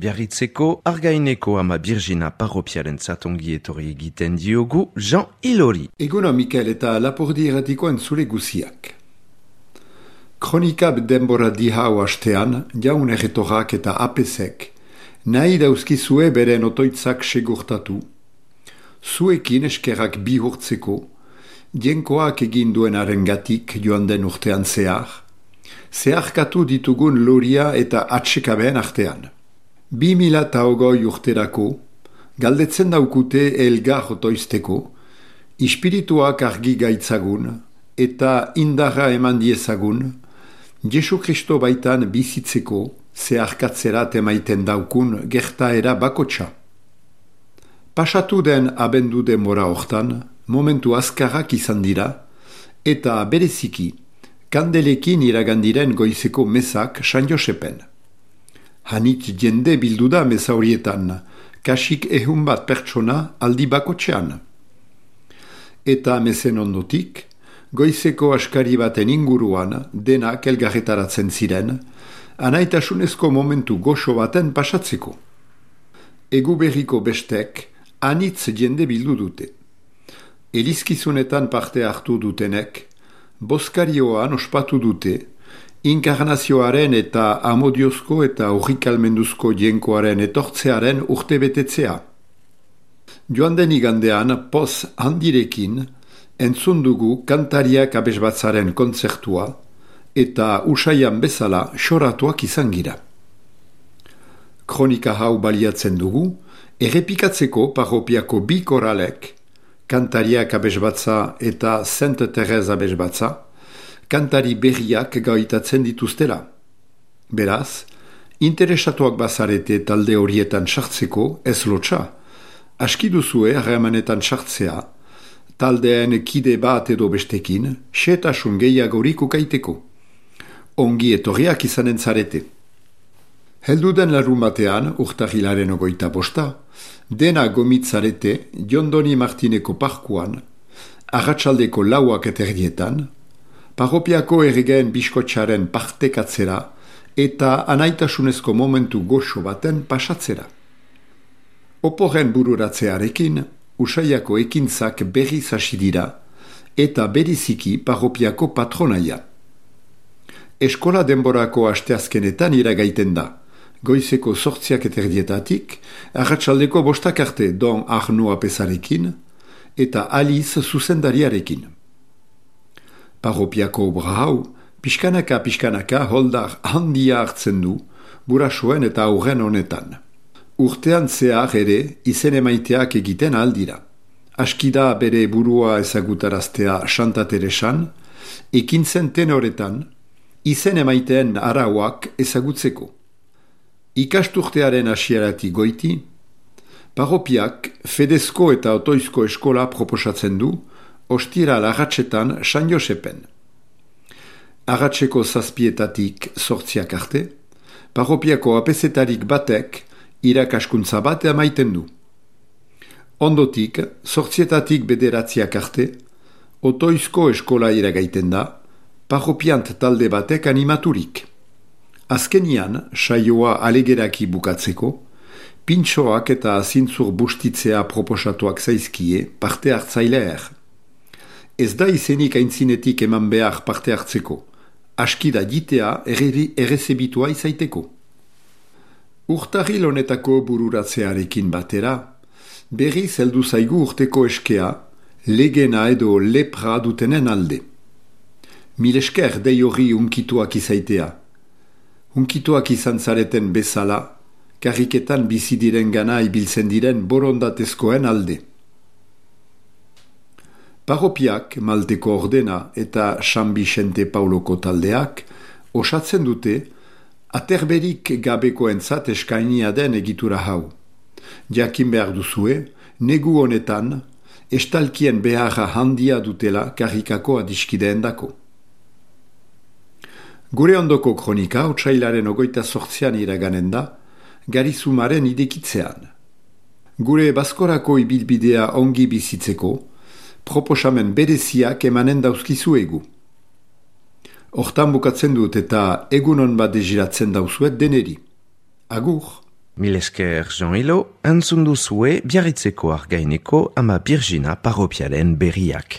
Biarritzeko Argaineko ama Birgina parropiaren zatongi etorri egiten diogu Jean Ilori. Eguno Mikel eta Lapurdi erratiko entzule guziak. Kronika denbora dihau hastean, jaun erretorak eta apesek, nahi dauzkizue beren otoitzak segurtatu, zuekin eskerrak bihurtzeko, jenkoak egin duenaren gatik joan den urtean zeharkatu ditugun loria eta atsekabeen artean. 2008 urterako, galdetzen daukute elgar otoizteko, ispirituak argi gaitzagun eta indarra eman diezagun, Jesu Kristo baitan bizitzeko zeharkatzerat emaiten daukun gertaera bakotsa. Pasatu den abendu denbora hortan, momentu azkarrak izan dira, eta bereziki, kandelekin iragandiren goizeko mesak San Josepen. Hanit jende bildu da meza horietan, kasik 100 bat pertsona aldi bakotxean. Eta mezen ondotik, goizeko askari baten inguruan denak elgarretaratzen ziren, anaitasunezko momentu goxo baten pasatzeko. Egu berriko bestek, anitz jende bildu dute. Elizkizunetan parte hartu dutenek, boskarioan ospatu dute, inkarnazioaren eta amodiozko eta urrikalmenduzko jenkoaren etortzearen urtebetetzea. Joan den igandean, poz handirekin, entzun dugu kantariak abesbatzaren kontzertua eta usaian bezala xoratuak izan gira. Kronika hau baliatzen dugu, errepikatzeko parropiako 2 koralek, kantariak abesbatza eta Sainte Teresa abesbatza, kantari berriak gaitatzen dituztela. Beraz, interesatuak bazarete talde horietan sartzeko ez lotxa, aski duzue harremanetan sartzea, taldeen kide bat edo bestekin, xetasun gehiagorik ukaiteko. Ongi etorriak izanen zarete. Helduden larun batean, urtarrilaren 25, dena gomitzarete Jondoni Martineko parkuan, arratsaldeko 4 eterdietan, parropiako erregeen biskotxaren partekatzera eta anaitasunezko momentu goxo baten pasatzera. Oporen bururatzearekin, usaiako ekintzak berriz hasi dira eta beriziki parropiako patronaia. Eskola denborako asteazkenetan iragaiten da, goizeko 8 eterdietatik, arratsaldeko 5 arte Don Arno apesarekin eta Alice zuzendariarekin. Parropiako obra hau, pixkanaka holdar handia hartzen du, burasuen eta aurren honetan. Urtean zehar ere izen emaiteak egiten aldira. Askida bere burua ezagutaraztea Santa Teresan, ekintzen tenoretan, izen emaiteen arauak ezagutzeko. Ikasturtearen hasieratik goiti, parropiak fedezko eta otoizko eskola proposatzen du, ostira lagatxetan San Josepen. Agatzeko 7 8 arte, parropiako apezetarik batek irakaskuntza bat emaiten du. Ondotik, 8 9 arte, otoizko eskola iragaiten da, parropiant talde batek animaturik. Azkenian, saioa alegeraki bukatzeko, pintxoak eta zintzur bustitzea proposatuak zaizkie parte hartzaileer. Ez da izenik aintzinetik eman behar parte hartzeko, askida jitea errezebitua izaiteko. Urtarril honetako bururatzearekin batera, berriz heldu zaigu urteko eskea, legena edo lepra dutenen alde. Milesker dei hori unkituak izaitea. Unkituak izan zareten bezala, karriketan bizi diren gana ibiltzen diren borondatezkoen alde. Parropiak, Malteko ordena eta San Vicente Pauloko taldeak osatzen dute aterberik gabekoentzat eskainia den egitura hau. Jakin behar duzue, negu honetan, estalkien beharra handia dutela karrikako adiskideendako. Gure ondoko kronika, otsailaren 28 iraganen da, Garizumaren idekitzean. Gure baskorako ibilbidea ongi bizitzeko, proposamen bereziak emanen dauzkizuegu. Hortan bukatzen dut eta egunon bat deziratzen dauzuet deneri. Agur! Mil esker Jean Hilo, entzun duzue Biarritzeko Argaineko ama Birjina parropialen berriak.